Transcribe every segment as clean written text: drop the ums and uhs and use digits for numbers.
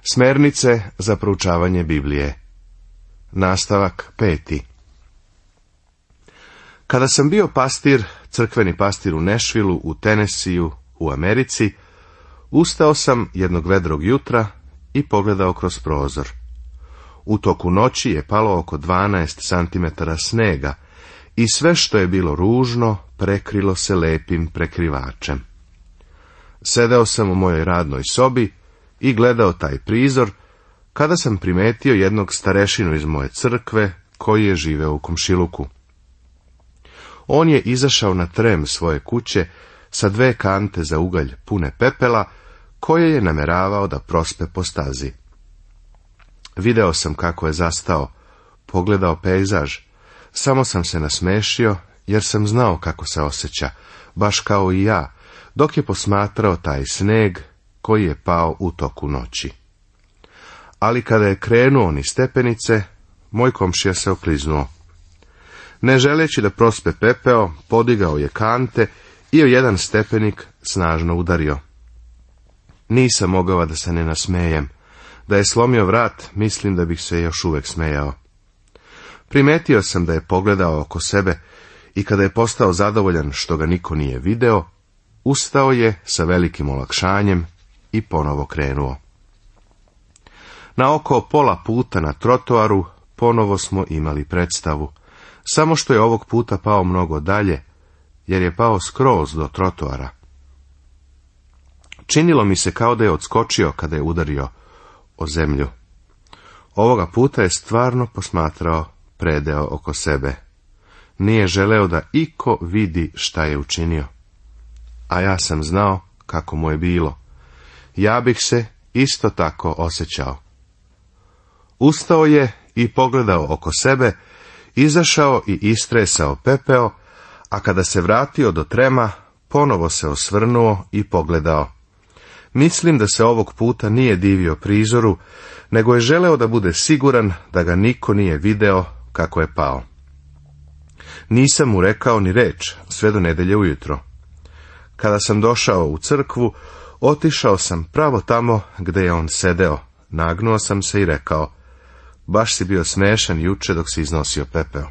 Smernice za proučavanje Biblije. Nastavak 5. Kada sam bio pastir, crkveni pastir u Nashvilleu u Tennesseeu u Americi, ustao sam jednog vedrog jutra i pogledao kroz prozor. U toku noći je palo oko 12 centimetara snega i sve što je bilo ružno prekrilo se lepim prekrivačem. Sedeo sam u mojoj radnoj sobi i gledao taj prizor, kada sam primetio jednog starešinu iz moje crkve, koji je živeo u komšiluku. On je izašao na trem svoje kuće sa 2 kante za ugalj pune pepela, koje je nameravao da prospe po stazi. Video sam kako je zastao, pogledao pejzaž, samo sam se nasmešio, jer sam znao kako se osjeća, baš kao i ja, dok je posmatrao taj sneg koji je pao u toku noći. Ali kada je krenuo niz stepenice, moj komšija se okliznuo. Ne želeći da prospe pepeo, podigao je kante i o jedan stepenik snažno udario. Nisam mogao da se ne nasmejem. Da je slomio vrat, mislim da bih se još uvek smejao. Primetio sam da je pogledao oko sebe i kada je postao zadovoljan što ga niko nije video, ustao je sa velikim olakšanjem i ponovo krenuo. Na oko pola puta na trotoaru ponovo smo imali predstavu, samo što je ovog puta pao mnogo dalje, jer je pao skroz do trotoara. Činilo mi se kao da je odskočio kada je udario o zemlju. Ovoga puta je stvarno posmatrao predeo oko sebe. Nije želeo da iko vidi šta je učinio. A ja sam znao kako mu je bilo. Ja bih se isto tako osjećao. Ustao je i pogledao oko sebe, izašao i istresao pepeo, a kada se vratio do trema, ponovo se osvrnuo i pogledao. Mislim da se ovog puta nije divio prizoru, nego je želeo da bude siguran da ga niko nije video kako je pao. Nisam mu rekao ni reč sve do nedelje ujutro. Kada sam došao u crkvu, otišao sam pravo tamo gde je on sedeo, nagnuo sam se i rekao: baš si bio smešan juče dok si iznosio pepeo.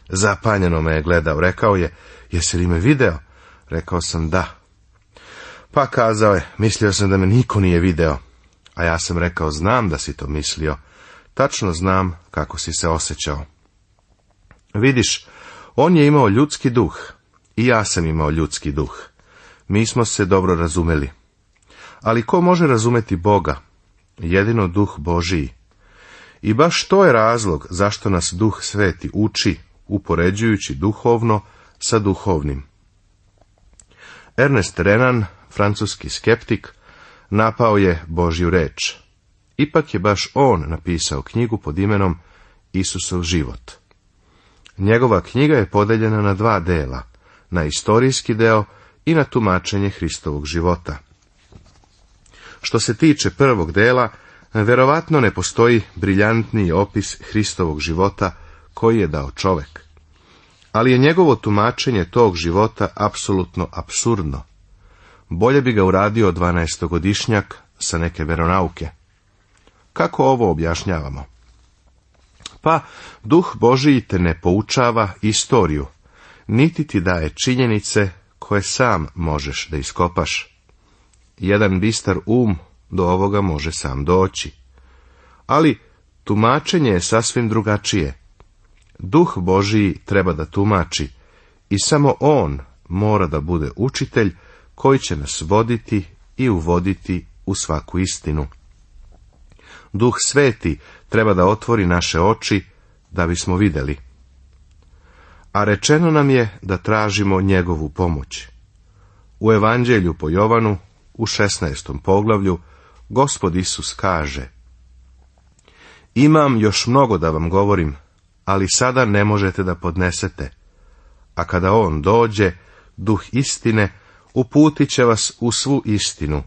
Zapanjeno me je gledao, rekao je: jesi li me video? Rekao sam da. Pa kazao je: mislio sam da me niko nije video. A ja sam rekao: znam da si to mislio, tačno znam kako si se osjećao. Vidiš, on je imao ljudski duh i ja sam imao ljudski duh. Mi smo se dobro razumeli. Ali ko može razumeti Boga? Jedino Duh Božiji. I baš to je razlog zašto nas Duh Sveti uči, upoređujući duhovno sa duhovnim. Ernest Renan, francuski skeptik, napao je Božju reč. Ipak je baš on napisao knjigu pod imenom Isusov život. Njegova knjiga je podeljena na 2 dela, na istorijski deo i na tumačenje Hristovog života. Što se tiče prvog dela, verovatno ne postoji briljantniji opis Hristovog života koji je dao čovek. Ali je njegovo tumačenje tog života apsolutno apsurdno. Bolje bi ga uradio 12-godišnjak sa neke veronauke. Kako ovo objašnjavamo? Pa, Duh Božiji te ne poučava istoriju, niti ti daje činjenice koje sam možeš da iskopaš. Jedan bistar do ovoga može sam doći. Ali tumačenje je sasvim drugačije. Duh Božiji treba da tumači i samo on mora da bude učitelj koji će nas voditi i uvoditi u svaku istinu. Duh Sveti treba da otvori naše oči da bismo videli. A rečeno nam je da tražimo njegovu pomoć. U Evanđelju po Jovanu, u 16. poglavlju, Gospod Isus kaže: imam još mnogo da vam govorim, ali sada ne možete da podnesete. A kada on dođe, Duh istine, uputit će vas u svu istinu,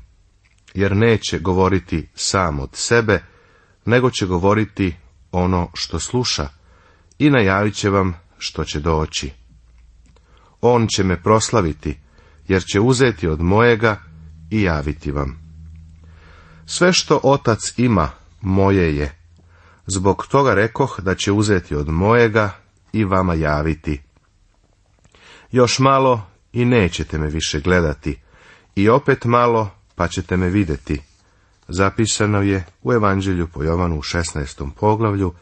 jer neće govoriti sam od sebe, nego će govoriti ono što sluša i najavit će vam što će doći. On će me proslaviti, jer će uzeti od mojega i javiti vam. Sve što Otac ima, moje je. Zbog toga rekoh da će uzeti od mojega i vama javiti. Još malo i nećete me više gledati, i opet malo pa ćete me vidjeti. Zapisano je u Evanđelju po Jovanu u 16. poglavlju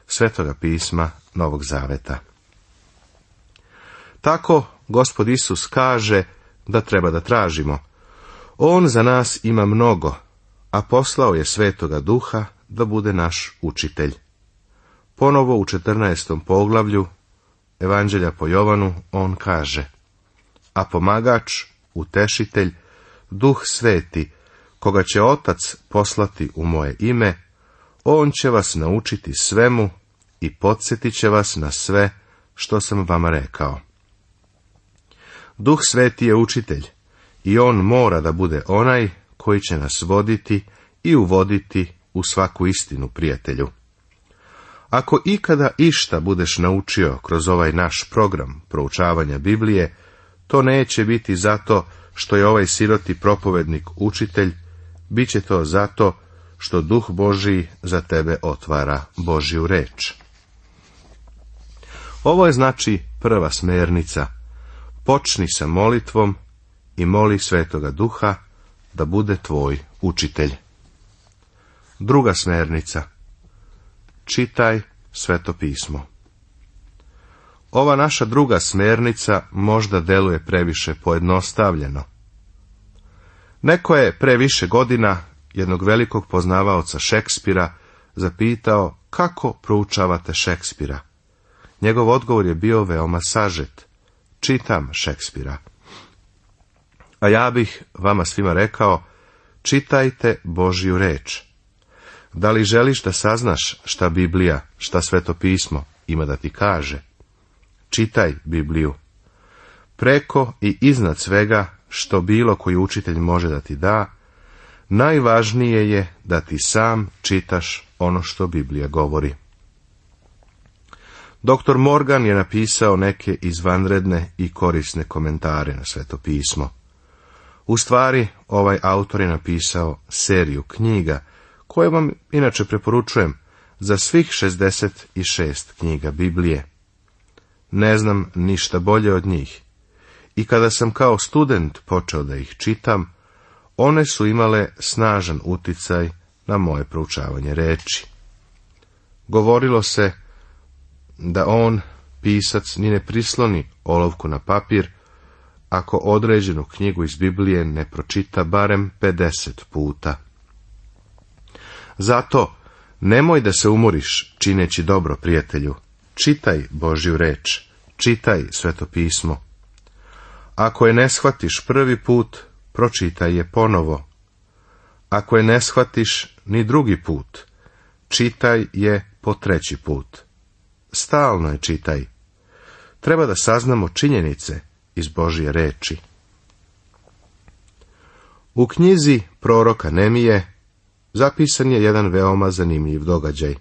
Svetoga pisma Novog Zaveta. Tako Gospod Isus kaže da treba da tražimo. On za nas ima mnogo, a poslao je Svetoga Duha da bude naš učitelj. Ponovo u 14. poglavlju Evanđelja po Jovanu on kaže: a pomagač, utešitelj, Duh Sveti, koga će Otac poslati u moje ime, on će vas naučiti svemu i podsjetit će vas na sve što sam vama rekao. Duh Sveti je učitelj i on mora da bude onaj koji će nas voditi i uvoditi u svaku istinu, prijatelju. Ako ikada išta budeš naučio kroz ovaj naš program proučavanja Biblije, to neće biti zato što je ovaj siroti propovednik učitelj, bit će to zato što Duh Božiji za tebe otvara Božju reč. Ovo je znači prva smernica. Počni sa molitvom i moli Svetoga Duha da bude tvoj učitelj. Druga smernica. Čitaj Sveto pismo. Ova naša druga smernica možda deluje previše pojednostavljeno. Neko je pre više godina jednog velikog poznavaoca Šekspira zapitao kako proučavate Šekspira. Njegov odgovor je bio veoma sažet. Čitam Šekspira. A ja bih vama svima rekao, čitajte Božju reč. Da li želiš da saznaš šta Biblija, šta Sveto pismo ima da ti kaže? Čitaj Bibliju. Preko i iznad svega što bilo koji učitelj može da ti da, najvažnije je da ti sam čitaš ono što Biblija govori. Dr. Morgan je napisao neke izvanredne i korisne komentare na Sveto pismo. U stvari, ovaj autor je napisao seriju knjiga, koje vam inače preporučujem za svih 66 knjiga Biblije. Ne znam ništa bolje od njih. I kada sam kao student počeo da ih čitam, one su imale snažan uticaj na moje proučavanje reči. Govorilo se da on, pisac, ni ne prisloni olovku na papir, ako određenu knjigu iz Biblije ne pročita barem 50 puta. Zato, nemoj da se umoriš čineći dobro, prijatelju. Čitaj Božju reč, čitaj Sveto pismo. Ako je ne shvatiš prvi put, pročitaj je ponovo. Ako je ne shvatiš ni drugi put, čitaj je po treći put. Stalno je čitaj. Treba da saznamo činjenice iz Božje reči. U knjizi proroka Nemije zapisan je jedan veoma zanimljiv događaj.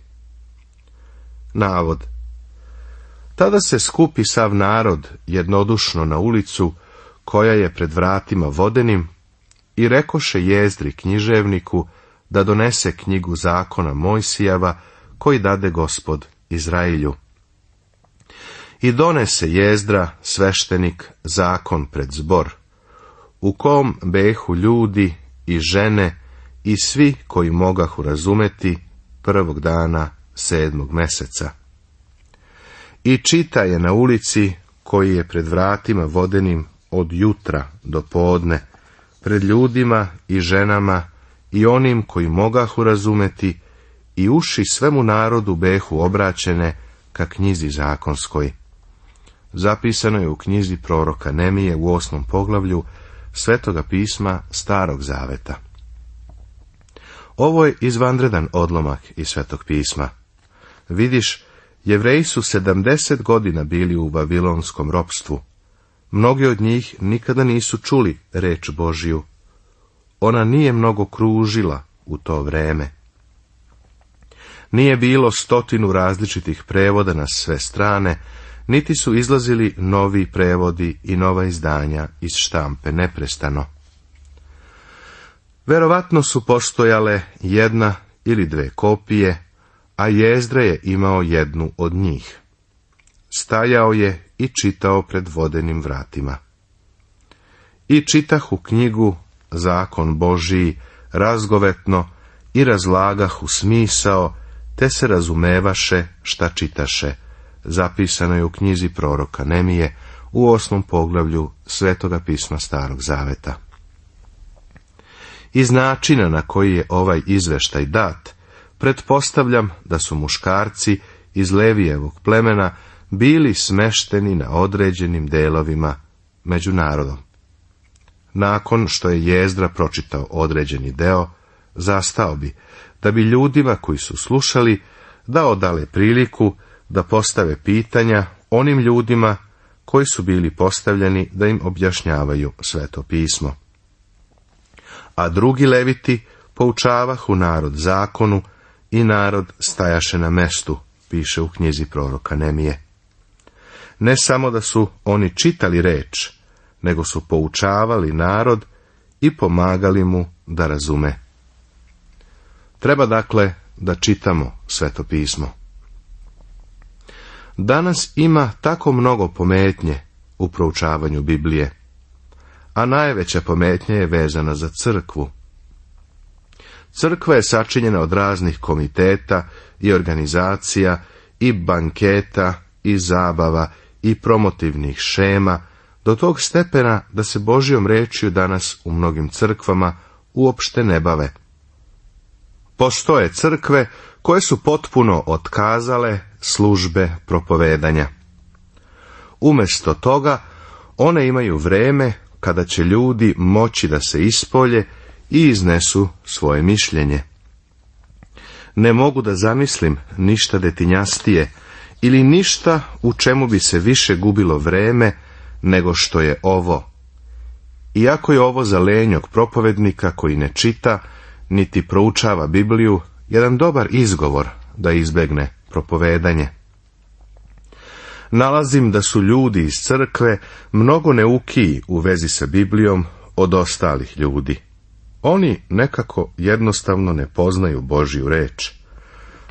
Navod. Tada se skupi sav narod jednodušno na ulicu, koja je pred vratima vodenim, i rekoše Jezdri književniku da donese knjigu zakona Mojsijeva, koji dade Gospod Izrailju. I donese Jezdra, sveštenik, zakon pred zbor, u kom behu ljudi i žene i svi koji mogahu razumeti prvog dana 7. meseca. I čita je na ulici, koji je pred vratima vodenim od jutra do podne, pred ljudima i ženama i onim koji mogahu razumeti, i uši svemu narodu behu obraćene ka knjizi zakonskoj. Zapisano je u knjizi proroka Nemije u 8. poglavlju Svetoga pisma Starog Zaveta. Ovo je izvanredan odlomak iz Svetog pisma. Vidiš, Jevreji su 70 godina bili u babilonskom ropstvu. Mnogi od njih nikada nisu čuli reč Božju. Ona nije mnogo kružila u to vreme. Nije bilo 100 različitih prevoda na sve strane, niti su izlazili novi prevodi i nova izdanja iz štampe neprestano. Verovatno su postojale jedna ili dve kopije, a Jezdra je imao jednu od njih. Stajao je i čitao pred vodenim vratima. I čitahu knjigu, zakon Božiji, razgovetno i razlagahu smisao, te se razumevaše šta čitaše. Zapisano je u knjizi proroka Nemije u 8. poglavlju Svetoga pisma Starog Zaveta. Iz načina na koji je ovaj izveštaj dat, pretpostavljam da su muškarci iz Levijevog plemena bili smešteni na određenim delovima među narodom. Nakon što je Jezdra pročitao određeni deo, zastao bi, da bi ljudima koji su slušali dao dale priliku da postave pitanja onim ljudima koji su bili postavljeni da im objašnjavaju Sveto pismo. A drugi leviti poučavahu narod zakonu i narod stajaše na mestu, piše u knjizi proroka Nemije. Ne samo da su oni čitali reč, nego su poučavali narod i pomagali mu da razume. Treba dakle da čitamo Sveto pismo. Danas ima tako mnogo pometnje u proučavanju Biblije, a najveća pometnja je vezana za crkvu. Crkva je sačinjena od raznih komiteta i organizacija i banketa i zabava i promotivnih šema, do tog stepena da se Božjom rečju danas u mnogim crkvama uopšte ne bave. Postoje crkve koje su potpuno otkazale službe propovedanja. Umjesto toga, one imaju vreme kada će ljudi moći da se ispolje i iznesu svoje mišljenje. Ne mogu da zamislim ništa detinjastije ili ništa u čemu bi se više gubilo vreme nego što je ovo. Iako je ovo za lenjog propovednika koji ne čita, niti proučava Bibliju, jedan dobar izgovor da izbegne propovedanje. Nalazim da su ljudi iz crkve mnogo neukiji u vezi sa Biblijom od ostalih ljudi. Oni nekako jednostavno ne poznaju Božju reč,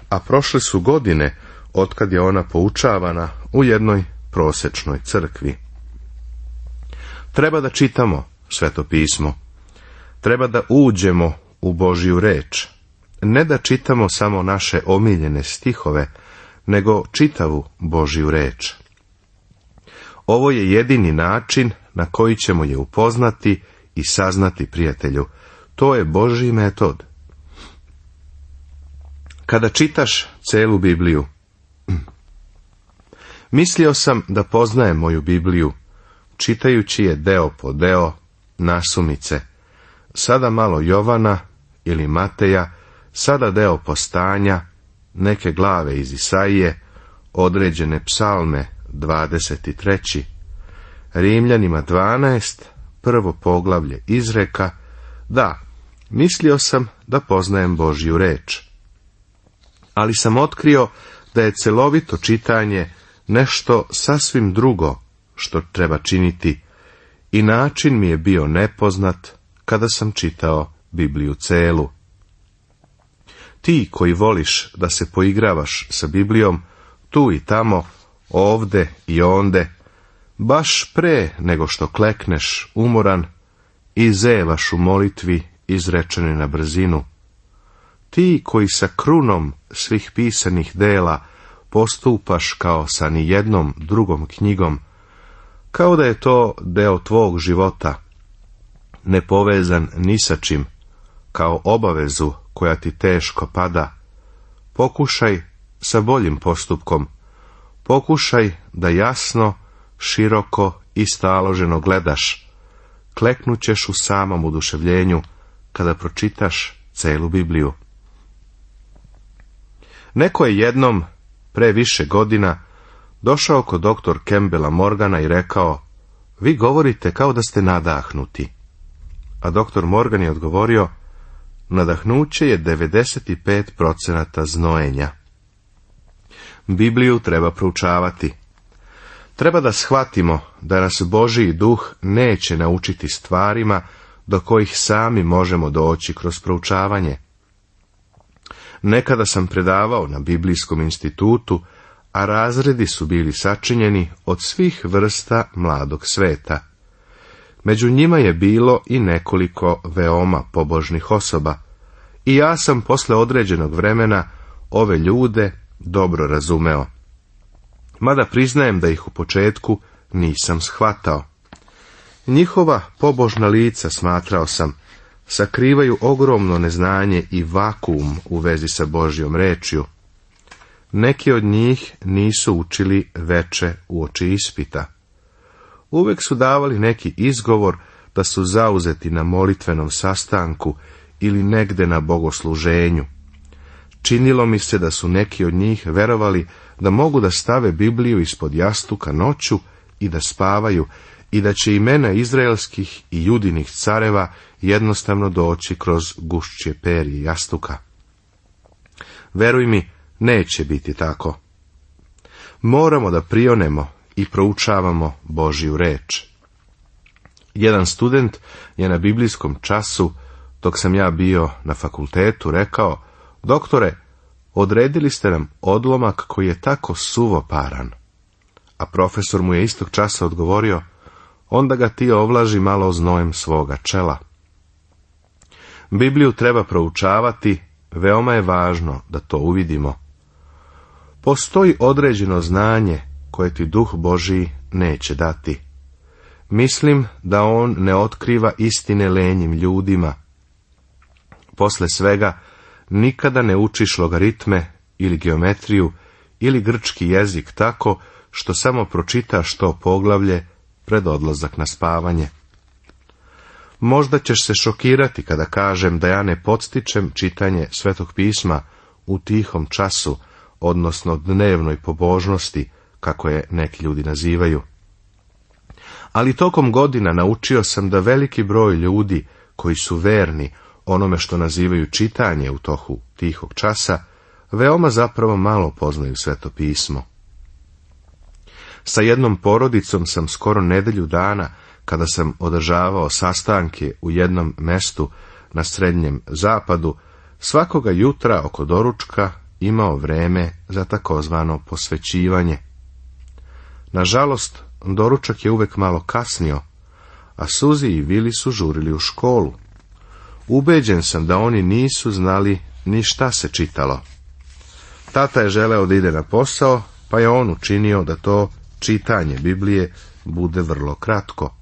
a prošle su godine otkad je ona poučavana u jednoj prosečnoj crkvi. Treba da čitamo Sveto pismo. Treba da uđemo u Božju reč. Ne da čitamo samo naše omiljene stihove, nego čitavu Božju reč. Ovo je jedini način na koji ćemo je upoznati i saznati, prijatelju. To je Božji metod. Kada čitaš celu Bibliju, mislio sam da poznajem moju Bibliju, čitajući je deo po deo, nasumice, sada malo Jovana ili Mateja, sada deo Postanja, neke glave iz Isaije, određene psalme 23. Rimljanima 12, prvo poglavlje Izreka. Da, mislio sam da poznajem Božju reč. Ali sam otkrio da je celovito čitanje nešto sasvim drugo što treba činiti i način mi je bio nepoznat kada sam čitao Bibliju celu. Ti koji voliš da se poigravaš sa Biblijom, tu i tamo, ovde i onde, baš pre nego što klekneš umoran i zevaš u molitvi izrečenoj na brzinu. Ti koji sa krunom svih pisanih dela postupaš kao sa nijednom drugom knjigom, kao da je to deo tvog života, nepovezan ni sa čim, kao obavezu koja ti teško pada, pokušaj sa boljim postupkom, pokušaj da jasno, široko i staloženo gledaš, kleknućeš u samom oduševljenju kada pročitaš celu Bibliju. Neko je jednom, pre više godina, došao kod doktor Campbella Morgana i rekao: vi govorite kao da ste nadahnuti. A doktor Morgan je odgovorio: nadahnuće je 95% znojenja. Bibliju treba proučavati. Treba da shvatimo da nas Božji duh neće naučiti stvarima do kojih sami možemo doći kroz proučavanje. Nekada sam predavao na Biblijskom institutu, a razredi su bili sačinjeni od svih vrsta mladog sveta. Među njima je bilo i nekoliko veoma pobožnih osoba, i ja sam posle određenog vremena ove ljude dobro razumeo. Mada priznajem da ih u početku nisam shvatao. Njihova pobožna lica, smatrao sam, sakrivaju ogromno neznanje i vakuum u vezi sa Božjom rečju. Neki od njih nisu učili veče uoči ispita. Uvek su davali neki izgovor da su zauzeti na molitvenom sastanku ili negde na bogosluženju. Činilo mi se da su neki od njih verovali da mogu da stave Bibliju ispod jastuka noću i da spavaju, i da će imena izraelskih i judinih careva jednostavno doći kroz gušće perje jastuka. Veruj mi, neće biti tako. Moramo da prionemo i proučavamo Božju reč. Jedan student je na biblijskom času, dok sam ja bio na fakultetu, rekao: doktore, odredili ste nam odlomak koji je tako suvoparan. A profesor mu je istog časa odgovorio: onda ga ti ovlaži malo znojem svoga čela. Bibliju treba proučavati, veoma je važno da to uvidimo. Postoji određeno znanje koje ti Duh Božji neće dati. Mislim da on ne otkriva istine lenjim ljudima. Posle svega, nikada ne učiš logaritme ili geometriju ili grčki jezik tako što samo pročitaš to poglavlje pred odlazak na spavanje. Možda ćeš se šokirati kada kažem da ja ne podstičem čitanje Svetog pisma u tihom času, odnosno dnevnoj pobožnosti, kako je neki ljudi nazivaju. Ali tokom godina naučio sam da veliki broj ljudi koji su verni onome što nazivaju čitanje u toku tihog časa, veoma zapravo malo poznaju Sveto pismo. Sa jednom porodicom sam skoro nedelju dana, kada sam održavao sastanke u jednom mestu na Srednjem zapadu, svakoga jutra oko doručka imao vreme za takozvano posvećivanje. Nažalost, doručak je uvek malo kasnio, a Suzi i Vili su žurili u školu. Ubeđen sam da oni nisu znali ni šta se čitalo. Tata je želeo da ide na posao, pa je on učinio da to čitanje Biblije bude vrlo kratko.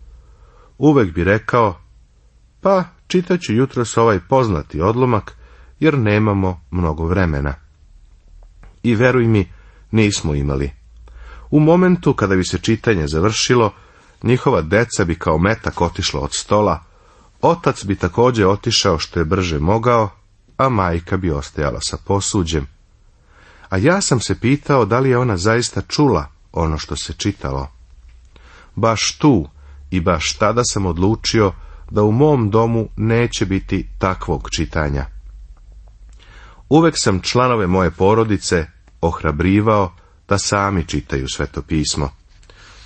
Uvek bi rekao: pa čitat ću jutros ovaj poznati odlomak, jer nemamo mnogo vremena. I veruj mi, nismo imali. U momentu kada bi se čitanje završilo, njihova deca bi kao metak otišla od stola, otac bi također otišao što je brže mogao, a majka bi ostajala sa posuđem. A ja sam se pitao da li je ona zaista čula ono što se čitalo. Baš tu i baš tada sam odlučio da u mom domu neće biti takvog čitanja. Uvek sam članove moje porodice ohrabrivao da sami čitaju Sveto pismo.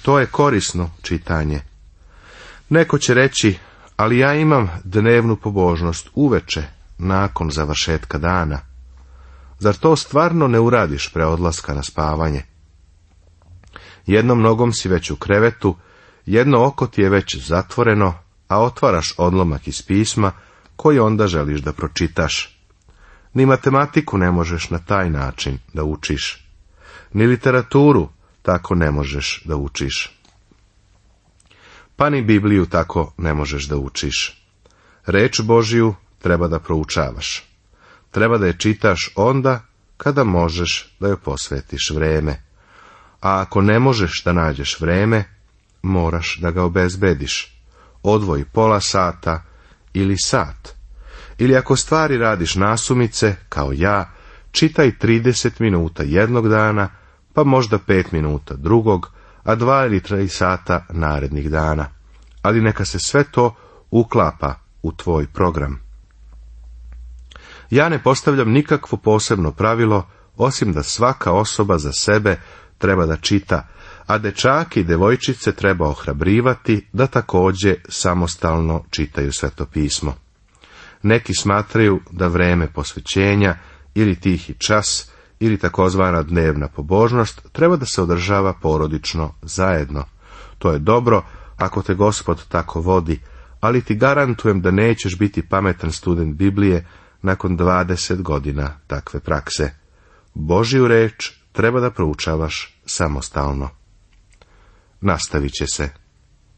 To je korisno čitanje. Neko će reći: ali ja imam dnevnu pobožnost uveče, nakon završetka dana. Zar to stvarno ne uradiš pre odlaska na spavanje? Jednom nogom si već u krevetu, jedno oko ti je već zatvoreno, a otvaraš odlomak iz pisma koji onda želiš da pročitaš. Ni matematiku ne možeš na taj način da učiš. Ni literaturu tako ne možeš da učiš. Pa ni Bibliju tako ne možeš da učiš. Reč Božiju treba da proučavaš. Treba da je čitaš onda kada možeš da joj posvetiš vreme. A ako ne možeš da nađeš vreme, moraš da ga obezbediš. Odvoji pola sata ili sat. Ili ako stvari radiš nasumice, kao ja, čitaj 30 minuta jednog dana, pa možda 5 minuta drugog, a 2 ili 3 sata narednih dana. Ali neka se sve to uklapa u tvoj program. Ja ne postavljam nikakvo posebno pravilo, osim da svaka osoba za sebe treba da čita, a dečake i devojčice treba ohrabrivati da također samostalno čitaju Sveto pismo. Neki smatraju da vreme posvećenja ili tihi čas ili takozvana dnevna pobožnost treba da se održava porodično zajedno. To je dobro ako te Gospod tako vodi, ali ti garantujem da nećeš biti pametan student Biblije nakon 20 godina takve prakse. Božju reč treba da proučavaš samostalno. Nastavit će se.